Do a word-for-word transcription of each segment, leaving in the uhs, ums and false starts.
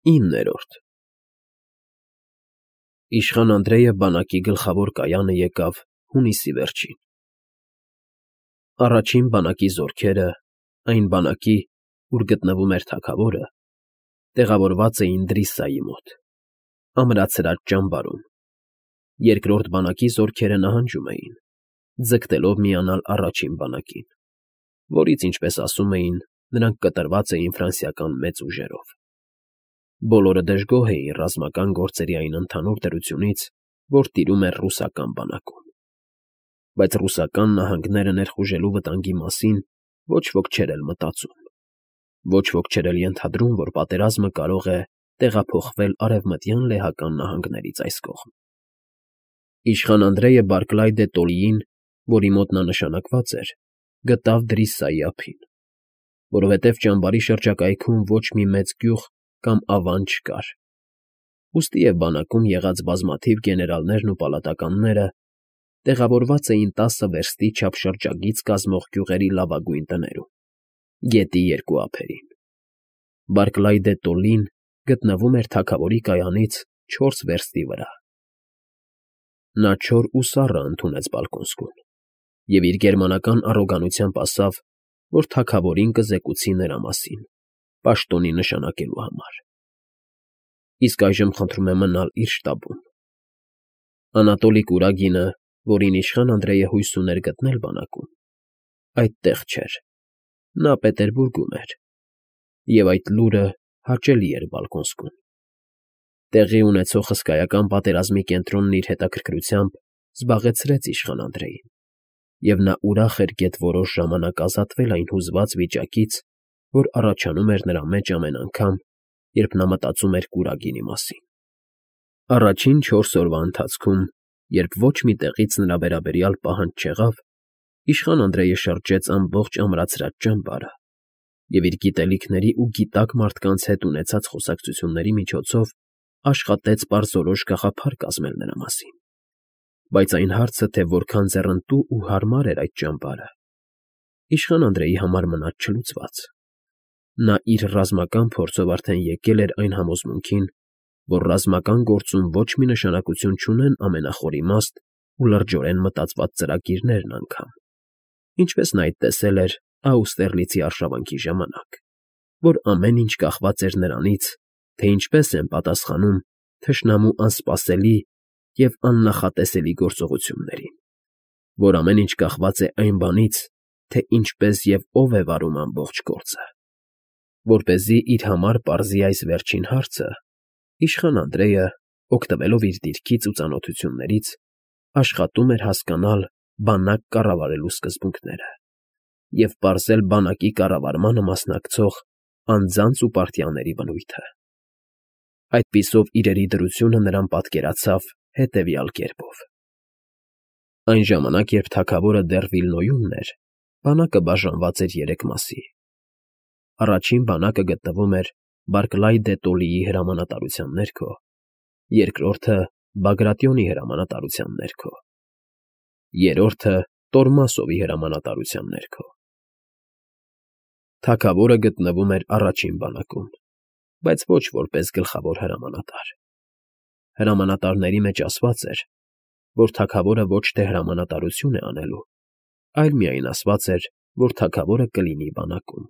Իններորդ Իշխան Անդրեյը բանակի գլխավոր կայանը եկավ հունիսի վերջին. առաջին բանակի զորքերը, այն բանակի, ուր գտնվում էր թագավորը, տեղավորված էին Դրիսայի մոտ, ամրացրած ճամբարում, երկրորդ բանակի զորքերը նահանջում էին, ձգտելով միանալ առաջին բանակին, որից, ինչպես ասում էին, նրանք կտրված էին ֆրանսիական մեծ ուժերով. բոլորը դժգոհ էին ռազմական գործերի այն ընդհանուր դրությունից, որ տիրում էր ռուսական բանակում, բայց ռուսական նահանգները ներխուժելու վտանգի մասին ոչ ոք չէր էլ մտածում, ոչ ոք չէր էլ ենթադրում, որ պատերազմը կարող է տեղափոխվել արևմտյան լեհական նահանգներից այս կողմ. Իշխան Անդրեյը Բարքլայ դե Տոլիին, որի մոտ նա նշանակված էր, գտավ Դրիսայի ափին, որովհետև ճամբարի շրջակայքում ոչ մի մեծ գյուղ կամ ավան չկար, ուստի և բանակում եղած բազմաթիվ գեներալներն ու պալատականները տեղավորված էին տասը վերստի չափ շրջագիծ կազմող գյուղերի լավագույն տներում, գետի երկու ափերին. Բարքլայ դե Տոլին գտնվում էր թագավորի կայանից չորս վերստի վրա. Նա չոր ու սառը ընդունեց Բալկոնսկուն և իր գերմանական առոգանությամբ ասավ, որ թագավորին կզեկուցի նրա մասին, պաշտոնի նշանակելու համար. Իսկ այժմ խնդրում է մնալ իր շտաբում. Անատոլի Կուրագինը, որին իշխան Անդրեյը հույս ուներ գտնել բանակում, այդտեղ չէր, նա Պետերբուրգում էր, և այդ լուրը հաճելի էր Բալկոնսկուն. տեղի ունեցող հսկայական պատերազմի կենտրոնն իր հետաքրքրությամբ զբաղեցրեց իշխան Անդրեյին, և նա ուրախ էր գեթ֊որոշ ժամանակ ազատվել այն հուզված վիճակից, որ առաջանում էր նրա մեջ ամեն անգամ, երբ նա մտածում էր Կուրագինի մասին. Առաջին չորս օրվա ընթացքում, երբ ոչ մի տեղից նրա վերաբերյալ պահանջ չեղավ, իշխան Անդրեյը շրջեց ամբողջ ամրացրած ճամբարը և իր գիտելիքների ու գիտակ մարդկանց հետ ունեցած խոսակցությունների միջոցով աշխատեց պարզորոշ գաղափար կազմել նրա մասին, բայց այն հարցը, թե որքան ձեռնտու ու հարմար էր այդ ճամբարը, իշխան Անդրեյի համար մնաց չլուծված. նա իր ռազմական փորձով արդեն եկել էր այն համոզմունքին, որ ռազմական գործում ոչ մի նշանակություն չունեն ամենախոր իմաստ ու լրջորեն մտածված ծրագիրներն անգամ, ինչպես նա այդ տեսել էր Աուստերլիցի արշավանքի ժամանակ, որ ամեն ինչ կախված էր նրանից, թե ինչպես են պատասխանում թշնամու անսպասելի և աննախատեսելի գործողություններին, որ ամեն ինչ կախված է այն բանից, թե ինչպես և ով է վարում ամբողջ գործը. Որպեսզի իր համար պարզի այս վերջին հարցը, իշխան Անդրեյը, օգտվելով իր դիրքից ու ծանոթություններից, աշխատում էր հասկանալ բանակ կառավարելու սկզբունքները և պարզել բանակի կառավարմանը մասնակցող անձանց ու պարտիաների բնույթը. այդպիսով իրերի դրությունը նրան պատկերացավ հետևյալ կերպով. Այն ժամանակ, երբ թագավորը դեռ Վիլնոյումն էր, բանակը բաժանված էր երեք մասի. առաջին բանակը գտնվում էր Բարքլայ դե Տոլիի հրամանատարության ներքո, երկրորդը Բագրատիոնի հրամանատարության ներքո, երրորդը Տորմասովի հրամանատարության ներքո։ Թագավորը գտնվում էր առաջին բանակում, բայց ոչ որպես գլխավոր հրամանատար. հրամանատարների մեջ ասված էր, որ թագավորը ոչ թե հրամանատարություն է անելու, այլ միայն ասված էր, որ թագավորը կլինի բանակում.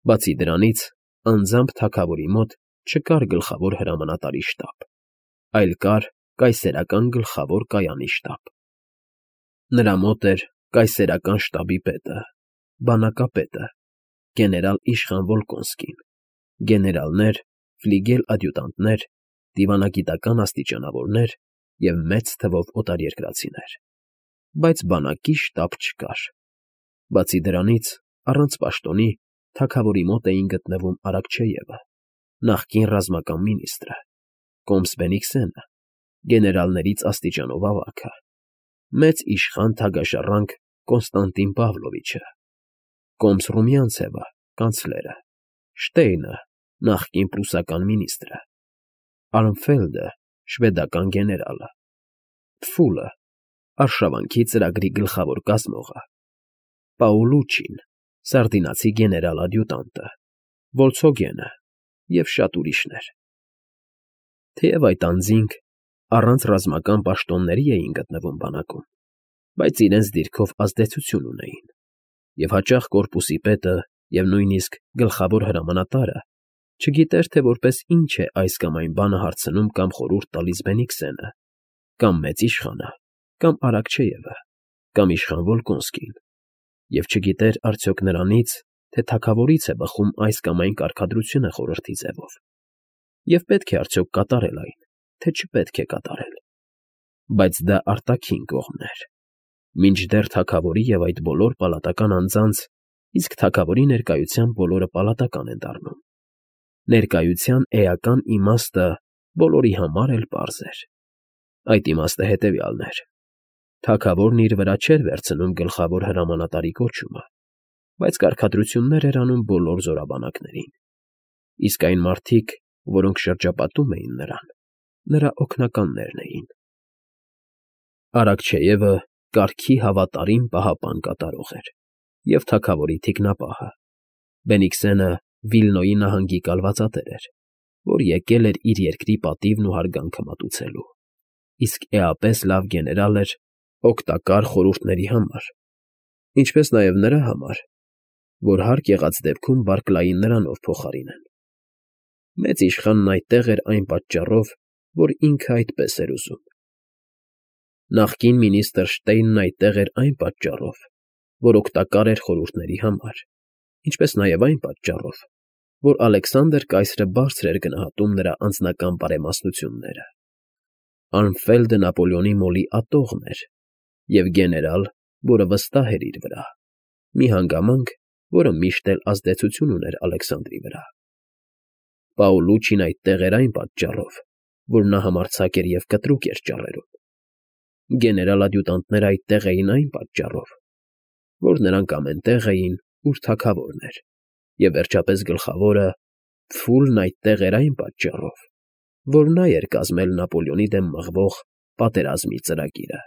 Բացի դրանից, անձամբ թագավորի մոտ չկար գլխավոր հրամանատարի շտաբ, այլ կար կայսերական գլխավոր կայանի շտաբ. նրա մոտ էր կայսերական շտաբի պետը, բանակապետը, գեներալ Իշխան Վոլկոնսկին, գեներալներ, ֆլիգել֊ադյուտանտներ, դիվանագիտական աստիճանավորներ և մեծ թվով օտարերկրացիներ, բայց բանակի շտաբ չկար. բացի դրանից, առանց պաշտոնի, թագավորի մոտ էին գտնվում Արաքչեևը, նախկին ռազմական մինիստրը, կոմս Բենիքսենը, գեներալներից աստիճանով ավագը, մեծ իշխան թագաշառանկ Կոնստանտին Պավլովիչը, կոմս Ռումյանցևը, կանցլերը, Շտեյնը, նախկին պրուսական մինիստրը, Արմֆելդը, շվեդական գեներալը, Պֆուլը, արշավանքի ծրագրի գլխավոր կազմողը, Պաուլուչին, սարդինացի գեներալ֊ադյուտանտը, Վոլցհոգենը, և շատ ուրիշներ։ Թեև այդ անձինք առանց ռազմական պաշտոնների էին գտնվում բանակում, բայց իրենց դիրքով ազդեցություն ունեին, և հաճախ կորպուսի պետը և նույնիսկ գլխավոր հրամանատարը չգիտեր, թե որպես ինչ է այս կամ այն բանը հարցնում կամ խորհուրդ տալիս Բենիքսենը, կամ մեծ իշխանը, կամ Արաքչեևը, կամ իշխան Վոլկոնսկին, և չգիտեր արդյոք նրանից, թե թագավորից է բխում այս կամ այն կարգադրությունը խորհրդի ձևով, և պետք է արդյոք կատարել այն, թե չպետք է կատարել։ Բայց դա արտաքին կողմն էր, մինչդեռ թագավորի և այդ բոլոր պալատական անձանց, իսկ թագավորի ներկայությամբ բոլորը պալատական են դառնում, ներկայության էական իմաստը բոլորի համար էլ պարզ էր։ Այդ իմաստը հետևյալն էր. թագավորն իր վրա չէր վերցնում գլխավոր հրամանատարի կոչումը, բայց կարգադրություններ էր անում բոլոր զորաբանակներին, իսկ այն մարդիկ, որոնք շրջապատում էին նրան, նրա օգնականներն էին։ Արաքչեևը կարգի հավատարիմ պահապան կատարող էր և թագավորի թիկնապահը, Բենիքսենը Վիլնոյի նահանգի կալվածատեր էր, որ եկել էր իր երկրի պատիվն ու հարգանքը մատուցելու, իսկ էապես լավ գեներալ էր օգտակար խորհուրդների համար, ինչպես նաև նրա համար, որ հարկ եղած դեպքում Բարքլային նրանով փոխարինեն։ Մեծ իշխանն այդտեղ էր այն պատճառով, որ ինքը այդպես էր ուզում։ Նախկին մինիստր Շտեյնն այդտեղ էր այն պատճառով, որ օգտակար էր խորհուրդների համար, ինչպես նաև այն պատճառով, որ Ալեքսանդր կայսրը բարձր էր գնահատում նրա անձնական բարեմաստությունները։ Արմֆելդը Նապոլեոնի մոլի ատողն էր և գեներալ, որը վստահ էր իր վրա, մի հանգամանք, որը միշտ էլ ազդեցություն ուներ Ալեքսանդրի վրա։ Պաուլուչին այդտեղ էր այն պատճառով, որ նա համարձակ էր և կտրուկ էր ճառերում։ Գեներալ֊ադյուտանտները այդտեղ էին այն պատճառով, որ նրանք ամեն տեղ էին, ուր թագավորն էր, և վերջապես գլխավորը՝ Փֆուլն այդտեղ էր այն պատճառով, որ նա էր կազմել Նապոլեոնի դեմ մղվող պատերազմի ծրագիրը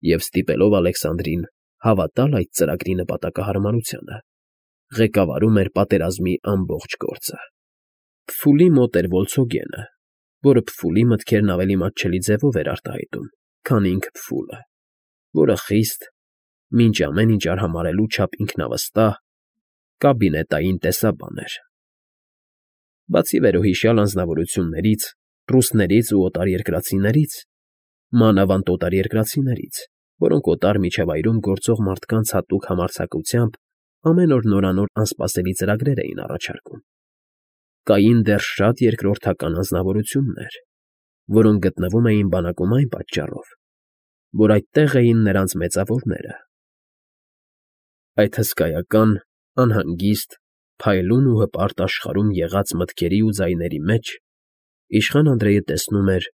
և, ստիպելով Ալեքսանդրին հավատալ այդ ծրագրի նպատակահարմարությանը, ղեկավարում էր պատերազմի ամբողջ գործը։ Փֆուլի մոտ էր Վոլցոգենը, որը Փֆուլի մտքերն ավելի մատչելի ձևով էր արտահայտում, քան ինքը Փֆուլը, որը խիստ, մինչ ամեն ինչ արհամարհելու չափ ինքնավստահ, կաբինետային տեսաբան էր։ Բացի վերոհիշյալ անձնավորություններից, ռուսներից ու օտարերկրացիներից, մանավանդ օտարերկրացիներից, որոնք օտար միջավայրում գործող մարդկանց հատուկ համարձակությամբ ամեն օր նորանոր անսպասելի ծրագրեր էին առաջարկում, կային դեռ շատ երկրորդական անձնավորություններ, որոնք գտնվում էին բանակում այն պատճառով, որ այդտեղ էին նրանց մեծավորները։ Այդ հսկայական, անհանգիստ, փայլուն ու հպարտ աշխարհում եղած մտքերի ու ձայների մեջ իշխան Անդրեյը տեսնում էր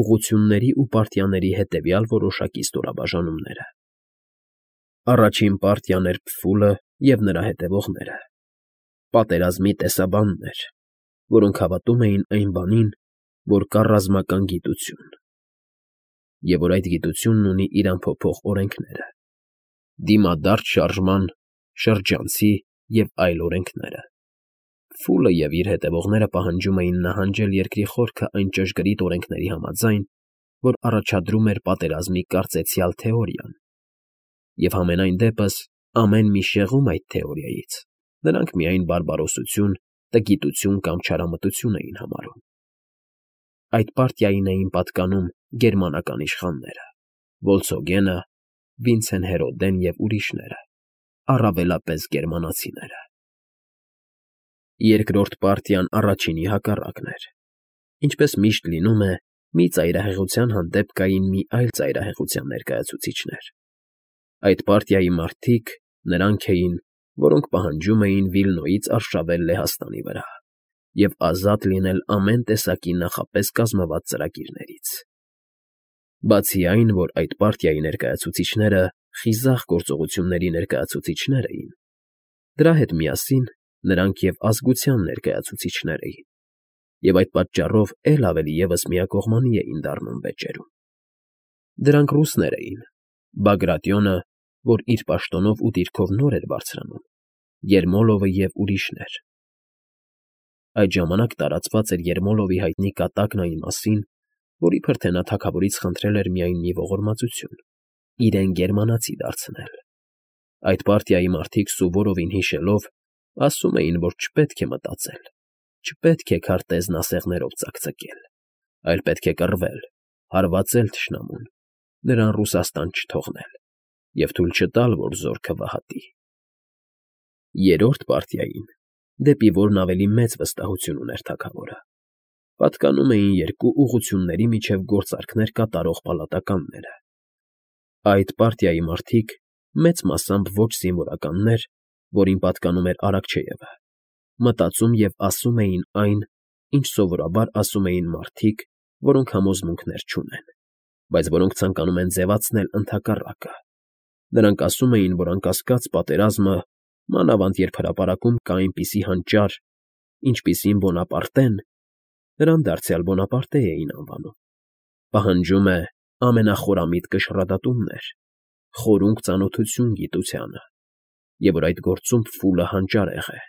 ուղղությունների ու պարտիաների հետևյալ որոշակի ստորաբաժանումները։ Առաջին պարտիան էր Փֆուլը և նրա հետևողները, պատերազմի տեսաբաններ, որոնք հավատում էին այն բանին, որ կա ռազմական գիտություն, և որ այդ գիտությունն ունի իր անփոփոխ օրենքները, դիմադարձ շարժման, շրջանցի և այլ օրենքները։ Փֆուլը և իր հետևողները պահանջում էին նահանջել երկրի խորքը այն ճշգրիտ օրենքների համաձայն, որ առաջադրում էր պատերազմի կարծեցյալ թեորիան, և համենայն դեպս ամեն մի շեղում այդ թեորիայից նրանք միայն բարբարոսություն, տգիտություն կամ չարամտություն էին համարում։ Այդ պարտիային էին պատկանում գերմանական իշխանները՝ Վոլցոգենը, Վինցեն Հերոդեն և ուրիշները, առավելապես գերմանացիները։ Երկրորդ պարտիան առաջինի հակառակն էր։ Ինչպես միշտ լինում է, մի ծայրահեղության հանդեպ կային մի այլ ծայրահեղության ներկայացուցիչներ։ Այդ պարտիայի մարդիկ նրանք էին, որոնք պահանջում էին Վիլնոյից արշավել Լեհաստանի վրա և ազատ լինել ամեն տեսակի նախապես կազմված ծրագրերից։ Բացի այն, որ այդ պարտիայի ներկայացուցիչները խիզախ գործողությունների ներկայացուցիչներ էին, դրա հետ միասին նրանք և ազգության ներկայացուցիչներ էին, և այդ պատճառով էլ ավելի ևս միակողմանի էին դառնում վեճերում։ Դրանք ռուսներ էին՝ Բագրատիոնը, որ իր պաշտոնով ու դիրքով նոր էր բարձրանում, Երմոլովը և ուրիշներ։ Այդ ժամանակ տարածված էր Երմոլովի հայտնի կատակն այն մասին, որ իբր թե նա թագավորից խնդրել էր միայն մի ողորմածություն՝ իրեն գերմանացի դարձնել։ Այդ պարտիայի մարդիկ Սուվորովին հիշելով, ասում էին, որ չպետք է մտածել, չպետք է քարտեզն ասեղներով ծակծկել, այլ պետք է կռվել, հարվածել թշնամուն, նրան Ռուսաստան չթողնել և թույլ չտալ, որ զորքը վհատի։ Երրորդ պարտիային, դեպի որն ավելի մեծ վստահություն ուներ թագավորը, պատկանում էին երկու ուղղությունների միջև գործարքներ կատարող պալատականները։ Այդ պարտիայի մարդիկ, մեծ մասամբ ոչ զինվորականներ, որին պատկանում էր Արաքչեևը, մտածում և ասում էին այն, ինչ սովորաբար ասում էին մարդիկ, որոնք համոզմունքներ չունեն, բայց որոնք ցանկանում են ձևացնել ընդհակառակը։ Նրանք ասում էին, որ անկասկած պատերազմը, մանավանդ երբ հրապարակում կա այնպիսի հանճար, ինչպիսին Բոնապարտեն (նրան դարձյալ Բոնապարտե էին անվանում), պահանջում է ամենախորամիտ կշռադատումներ, խորունկ ծանոթություն գիտությանը, և որ այդ գործում փուլը հանճարեղ է։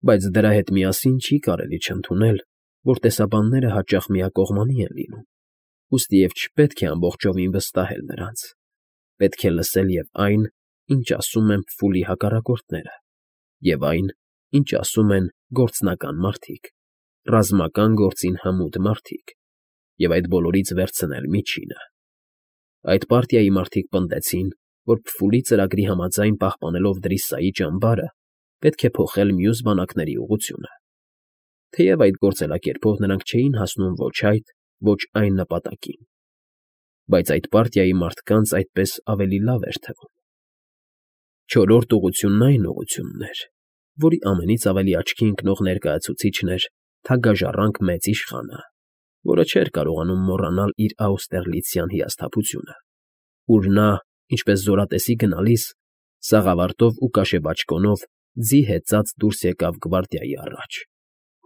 Բայց դրա հետ միասին չի կարելի չընդունել, որ տեսաբանները հաճախ միակողմանի են լինում, ուստի և չպետք է ամբողջովին վստահել նրանց, պետք է լսել և այն, ինչ ասում են փուլի հակառակորդները, և այն, ինչ ասում են գործնական մարդիկ, ռազմական գործին հմուտ մարդիկ, և այդ բոլորից վերցնել միջինը։ Այդ պարտիայի մարդիկ պնդեցին, որ փուլի ծրագրի համաձայն պահպանելով Դրիսայի ճամբարը, պետք է փոխել մյուս բանակների ուղղությունը։ Թեև այդ գործելակերպով նրանք չէին հասնում ոչ այդ, ոչ այն նպատակին, բայց այդ պարտիայի մարդկանց այդպես ավելի լավ էր թվում։ Չորրորդ ուղղությունն այն ուղղությունն էր, որի ամենից ավելի աչքի ընկնող ներկայացուցիչն էր թագաժառանգ Մեծ Իշխանը, որը չէր կարողանում մոռանալ իր աուստերլիցյան հիասթափությունը, ուր նա, ինչպես զորատեսի գնալիս, սաղավարտով ու կաշեբաճկոնով ձի հեծած դուրս եկավ գվարդիայի առաջ,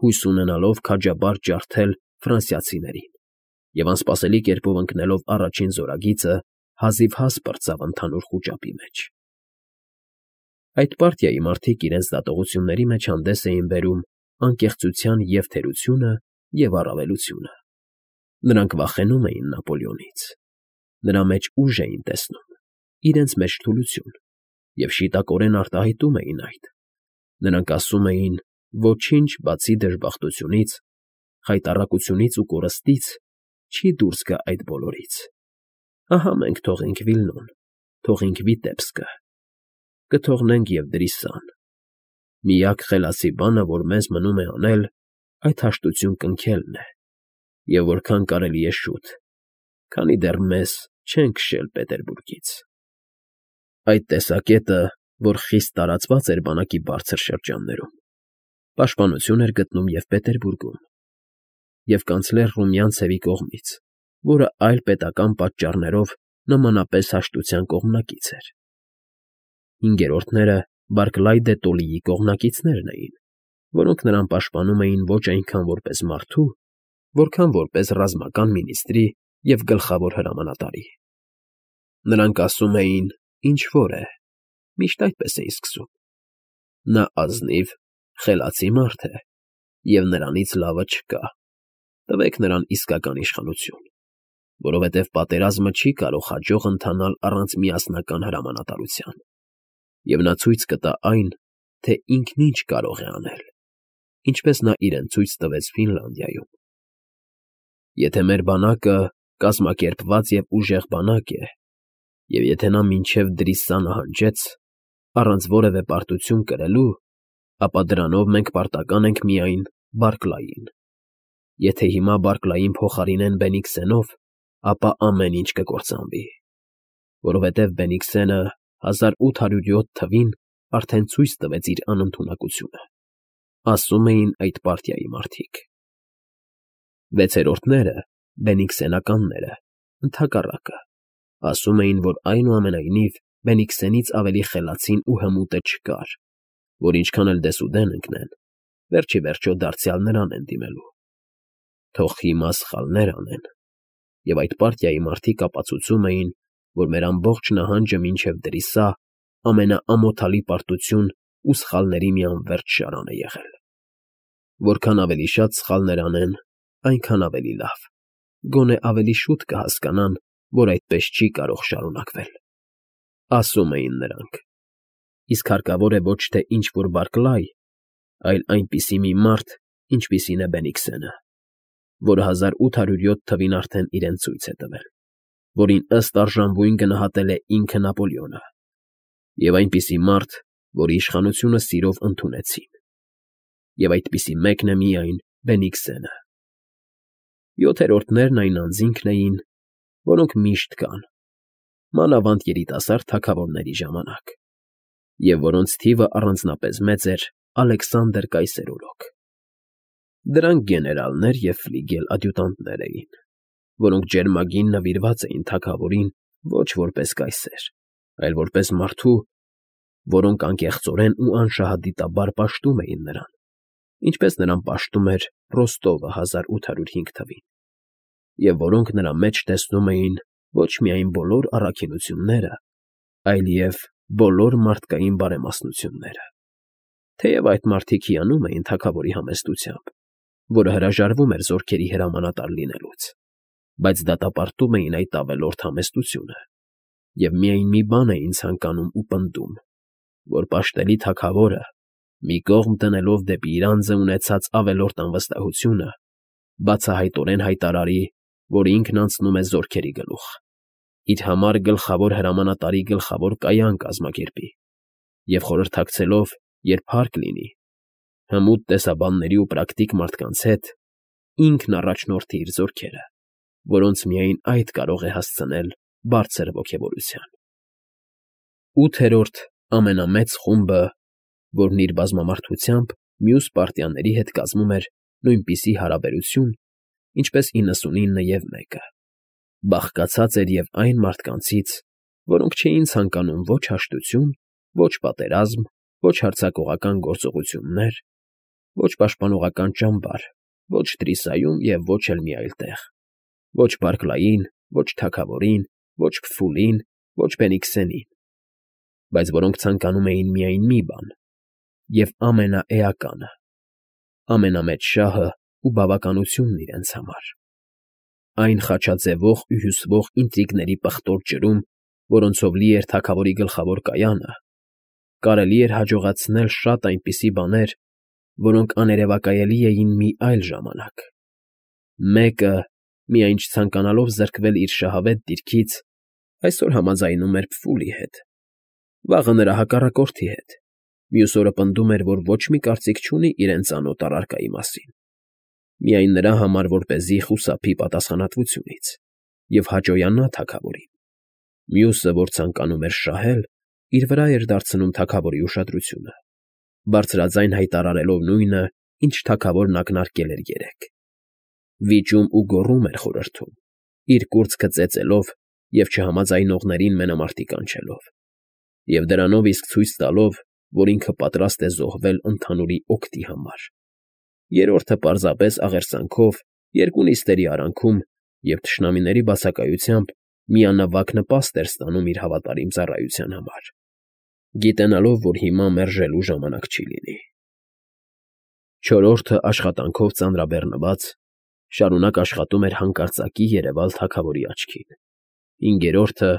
հույս ունենալով քաջաբար ջարդել ֆրանսիացիներին, և անսպասելի կերպով ընկնելով առաջին զորագիծը, հազիվհազ պրծավ ընդհանուր խուճապի մեջ։ Այդ պարտիայի մարդիկ իրենց դատողությունների մեջ հանդես էին բերում անկեղծության և թերությունը և առավելությունը։ Նրանք վախենում էին Նապոլեոնից, նրա մեջ ուժ էին տեսնում, իրենց մեջ թուլություն, և շիտակորեն արտահայտում էին այդ։ Նրանք ասում էին. «Ոչինչ, բացի դժբախտությունից, խայտառակությունից ու կորստից, չի դուրս գա այդ բոլորից։ Ահա մենք թողենք Վիլնոն, թողենք Վիտեբսկը, կթողնենք և Դրիսան։ Միակ խելացի բանը, որ մեզ մնում է անել, այդ հաշտություն կնքելն է, և որքան կարելի է շուտ, քանի դեռ մեզ չեն քշել Պետերբուրգից»։ Այդ տեսակետը, որ խիստ տարածված էր բանակի բարձր շրջաններում, պաշտպանություն էր գտնում և Պետերբուրգում, և կանցլեր Ռումյանցևի կողմից, որը այլ պետական պատճառներով նմանապես հաշտության կողմնակից էր։ Հինգերորդները Բարքլայ դե Տոլլիի կողմնակիցներն էին, որոնք նրան պաշտպանում էին ոչ այնքան որպես մարդու, որքան որպես ռազմական մինիստրի և գլխավոր հրամանատարի։ Նրանք ասում էին. «Ինչ֊որ է», միշտ այդպես էին սկսում. «Նա ազնիվ, խելացի մարդ է, և նրանից լավը չկա, տվեք նրան իսկական իշխանություն, որովհետև պատերազմը չի կարող հաջող ընթանալ առանց միասնական հրամանատարության, և նա ցույց կտա այն, թե ինքն ինչ կարող է անել, ինչպես նա իրեն ցույց տվեց Ֆինլանդիայում։ Եթե մեր բանակը կազմակերպված և ուժեղ բանակ է, և եթե նա մինչև Դրիսա նահանջեց, առանց որևէ պարտություն կրելու, ապա դրանով մենք պարտական ենք միայն Բարքլային։ Եթե հիմա Բարքլային փոխարինեն Բենիքսենով, ապա ամեն ինչ կկործանվի, որովհետև Բենիքսենը հազար ութ հարյուր յոթ թվին արդեն ցույց տվեց իր անընդունակությունը», ասում էին այդ պարտիայի մարդիկ։ Վեցերորդները, բենիքսենականները, ընդհակառակը, ասում էին, որ այնուամենայնիվ Բենիքսենից ավելի խելացին ու հմուտը չկար, որ ինչքան էլ դեսուդեն ընկնեն, վերջ ի վերջո դարձյալ նրան են դիմելու։ Թող հիմա սխալներ անեն, և այդ պարտիայի մարդիկ ապացուցում էին, որ մեր ամբողջ նահանջը մինչև Դրիսա ամենաամոթալի պարտություն ու սխալների մի անվերջ շարան է եղել։ Որքան ավելի շատ սխալներ անեն, այնքան ավելի լավ, գոնե ավելի շուտ կհասկանան, որ այդպես չի կարող շարունակվել, ասում էին նրանք, իսկ հարկավոր է ոչ թե ինչ֊որ Բարքլայ, այլ այնպիսի մի մարդ, ինչպիսին է Բենիքսենը, որը հազար ութ հարյուր յոթ թվին արդեն իրեն ցույց է տվել, որին ըստ արժանվույն գնահատել է ինքը Նապոլեոնը, և այնպիսի մարդ, որի իշխանությունը սիրով ընդունեցին, և այդպիսի մեկն է միայն Բենիքսենը։ Յոթերորդներն այն անձինքն էին, որոնք միշտ կան, մանավանդ երիտասարդ թագավորների ժամանակ, և որոնց թիվը առանձնապես մեծ էր Ալեքսանդր Կայսերօրոք։ Դրանք գեներալներ և ֆլիգել֊ադյուտանտներ էին, որոնք ջերմագին նվիրված էին թագավորին ոչ որպես կայսեր, այլ որպես մարդու, որոնք անկեղծորեն ու անշահադիտաբար պաշտում էին նրան, ինչպես նրան պաշտում էր Ռոստովը հազար ութ հարյուր հինգ թվին, և որոնք նրա մեջ տեսնում էին ոչ միայն բոլոր առաքինությունները, այլև բոլոր մարդկային բարեմասնությունները, թեև այդ մարդիկ հիանում էին թագավորի համեստությամբ, որը հրաժարվում էր զորքերի հրամանատար լինելուց, բայց դատապարտում էին այդ ավելորդ համեստությունը և միայն մի բան էին ցանկանում ու պնդում, որ պաշտելի թագավորը, մի կողմ դնելով դեպի իր անձը ունեցած ավելորդ անվստահությունը, բացահայտորեն հայտարարի, որ ինքն անցնում է զորքերի գլուխ, իր համար գլխավոր հրամանատարի գլխավոր կայան կազմակերպի և խորհրդակցելով, երբ հարկ լինի, հմուտ տեսաբանների ու պրակտիկ մարդկանց հետ, ինքն առաջնորդի իր զորքերը, որոնց միայն այդ կարող է հասցնել բարձր ոգևորության։ Ութերորդ ամենամեծ խումբը, որն իր բազմամարդությամբ մյուս պարտիաների հետ կազմում էր նույնպիսի հարաբերություն, ինչպես իննսունինը և մեկը, բաղկացած էր և այն մարդկանցից, որոնք չէին ցանկանում ոչ հաշտություն, ոչ պատերազմ, ոչ հարձակողական գործողություններ, ոչ պաշտպանողական ճամբար, ոչ Տրիսայում և ոչ էլ մի այլ տեղ, ոչ Բարքլային, ոչ թագավորին, ոչ Քֆուլին, ոչ Բենիքսենին, բայց որոնք ցանկանում էին միայն մի բան և ամենաէականը, ամենամեծ շահը ու բավականությունն իրենց համար, այն խաչաձևող ու հյուսվող ինտրիգների պղտոր ջրում, որոնցով լի էր թագավորի գլխավոր կայանը, կարելի էր հաջողացնել շատ այնպիսի բաներ, որոնք աներևակայելի էին մի այլ ժամանակ։ Մեկը, միայն չցանկանալով զրկվել իր շահավետ դիրքից, այսօր համաձայնում էր Քֆուլի հետ, վաղը նրա հակառակորդի հետ, մյուս օրը պնդում էր, որ ոչ մի կարծիք չունի իրեն ծանոթ առարկայի մասին, միայն նրա համար, որպեսզի խուսափի պատասխանատվությունից և հաճոյանա թագավորին, մյուսը, որ ցանկանում էր շահել, իր վրա էր դարձնում թագավորի ուշադրությունը, բարձրաձայն հայտարարելով նույնը, ինչ թագավորն ակնարկել էր երեկ, վիճում ու գոռում էր խորհրդում, իր կուրծքը ծեծելով և չհամաձայնողներին մենամարտի կանչելով, և դրանով իսկ ցույց տալով, որ ինքը պատրաստ է զոհվել ընդհանուրի օգտի համար, երրորդը պարզապես աղերսանքով, երկու նիստերի արանքում և թշնամիների բացակայությամբ միանվագ նպաստ էր ստանում իր հավատարիմ ծառայության համար, գիտենալով, որ հիմա մերժելու ժամանակ չի լինի։ Չորրորդը աշխատանքով ծանրաբեռնված, շարունակ աշխատում էր հանկարծակի երևալ թագավորի աչքին, հինգերորդը,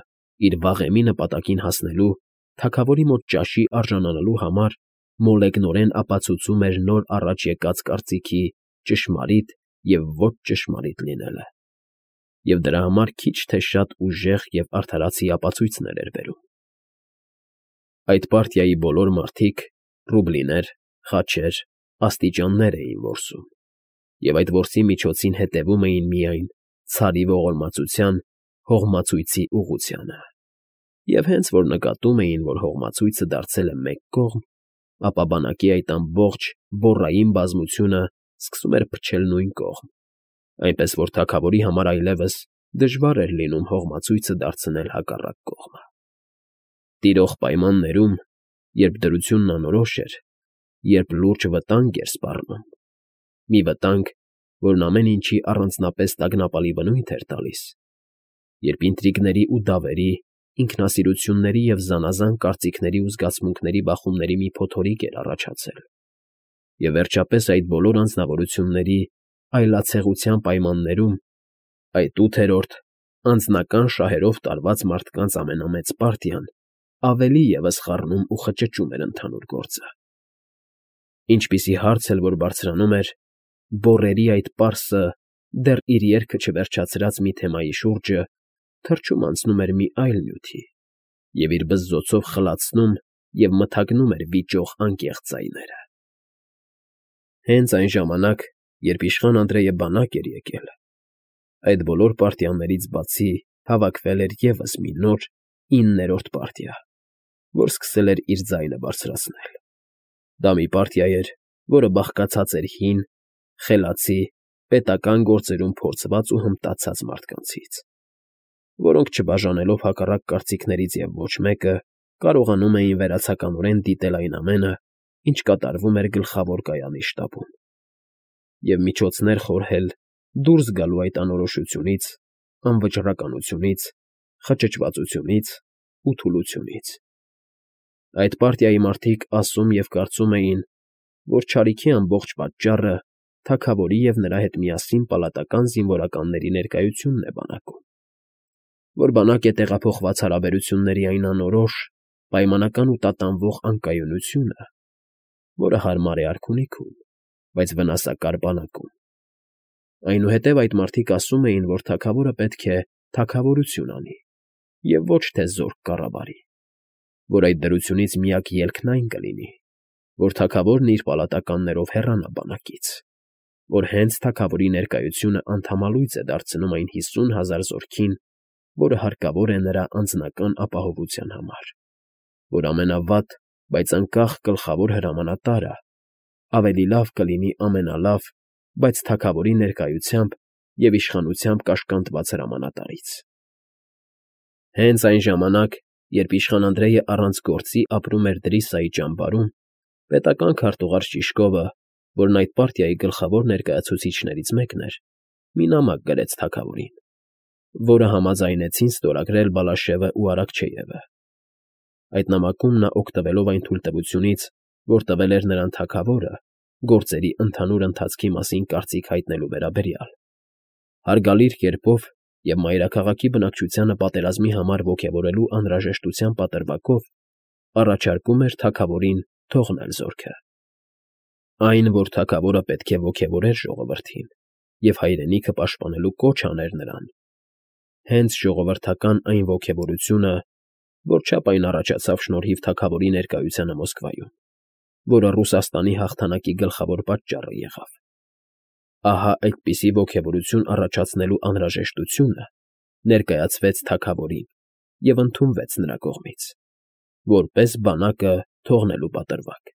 իր վաղեմի նպատակին հասնելու, թագավորի մոտ ճաշի արժանանալու համար մոլեգնորեն ապացուցում էր նոր առաջ եկած կարծիքի ճշմարիտ և ոչ ճշմարիտ լինելը, և դրա համար քիչ թե շատ ուժեղ և արդարացի ապացույցներ էր բերում։ Այդ պարտիայի բոլոր մարդիկ ռուբլիներ, խաչեր, աստիճաններ էին որսում, և այդ որսի միջոցին հետևում էին միայն Ցարի ողորմածության հողմացույցի ուղղությանը, և հենց որ նկատում էին, որ հողմացույցը դարձել է մեկ կողմ, ապա բանակի այդ ամբողջ բոռային բազմությունը սկսում էր փչել նույն կողմ, այնպես որ թագավորի համար այլևս դժվար էր լինում հողմացույցը դարձնել հակառակ կողմը։ Տիրող պայմաններում, երբ դրությունն անորոշ էր, երբ լուրջ վտանգ էր սպառնում, մի վտանգ, որն ամեն ինչի առանձնապես տագնապալի բնույթ էր տալիս, երբ ինտրիգների ու դավերի, ինքնասիրությունների և զանազան կարծիքների ու զգացմունքների բախումների մի փոթորիկ էր առաջացել, Եվ վերջապես այդ բոլոր անձնավորությունների այլացեղության պայմաններում այդ ութերորդ անձնական շահերով տարված մարդկանց ամենամեծ պարտիան ավելի ևս խառնում ու խճճում էր ընդհանուր գործը։ Ինչպիսի հարց էլ որ բարձրանում էր, բոռերի այդ պարսը դեռ իր երգը չվերջացրած մի թեմայի շուրջը թռչում անցնում էր մի այլ նյութի և իր բզզոցով խլացնում և մթագնում էր վիճող անկեղծ ձայները։ Հենց այն ժամանակ, երբ իշխան Անդրեյը բանակ էր եկել, այդ բոլոր պարտիաներից բացի հավաքվել էր ևս մի նոր, իններորդ պարտիա, որ սկսել էր իր ձայնը բարձրացնել։ Դա մի պարտիա էր, որը բաղկացած էր հին, խելացի, պետական գործերում փորձված ու հմտացած մարդկանցից, որոնք, չբաժանելով հակառակ կարծիքներից և ոչ մեկը, կարողանում էին վերացականորեն դիտել այն ամենը, ինչ կատարվում էր գլխավոր կայանի շտաբում, և միջոցներ խորհել դուրս գալու այդ անորոշությունից, անվճռականությունից, խճճվածությունից ու թուլությունից։ Այդ պարտիայի մարդիկ ասում և կարծում էին, որ չարիքի ամբողջ պատճառը թագավորի և նրա հետ միասին պալատական զինվորականների ներկայությունն է բանակում, որ բանակ է տեղափոխված հարաբերությունների այն անորոշ, պայմանական ու տատանվող անկայունությունը, որը հարմար է արքունիքում, բայց վնասակար բանակում։ Այնուհետև այդ մարդիկ ասում էին, որ թագավորը պետք է թագավորություն անի և ոչ թե զորք կառավարի, որ այդ դրությունից միակ ելքն այն կլինի, որ թագավորն իր պալատականներով հեռանա բանակից, որ հենց թագավորի ներկայությունը անդամալույծ է դարձնում այն հիսուն հազար զորքին, որը հարկավոր է նրա անձնական ապահովության համար, որ ամենավատ, բայց անկախ գլխավոր հրամանատարը ավելի լավ կլինի ամենալավ, բայց թագավորի ներկայությամբ և իշխանությամբ կաշկանդված հրամանատարից։ Հենց այն ժամանակ, երբ իշխան Անդրեյը առանց գործի ապրում էր Դրիսայի ճամբարում, պետական քարտուղար Շիշկովը, որն այդ պարտիայի գլխավոր ներկայացուցիչներից մեկն էր, մի նամակ գրեց թագավորին, որը համաձայնեցին ստորագրել Բալաշևն ու Արաքչեևը։ Այդ նամակում նա, օգտվելով այն թույլտվությունից, որ տվել էր նրան թագավորը գործերի ընդհանուր ընթացքի մասին կարծիք հայտնելու վերաբերյալ, հարգալից կերպով և մայրաքաղաքի բնակչությանը պատերազմի համար ոգևորելու անհրաժեշտության պատրվակով առաջարկում էր թագավորին թողնել զորքը։ Այն, որ թագավորը պետք է ոգևորեր ժողովրդին և հայրենիքը պաշտպանելու կոչ աներ նրան, հենց ժողովրդական այն ոգևորությունը, որչափ այն առաջացավ շնորհիվ թագավորի ներկայությանը Մոսկվայում, որը Ռուսաստանի հաղթանակի գլխավոր պատճառը եղավ։ Ահա այդպիսի ոգևորություն առաջացնելու անհրաժեշտությունը ներկայացվեց թագավորին և ընդունվեց նրա կողմից, որպես բանակը թողնելու պատրվակ։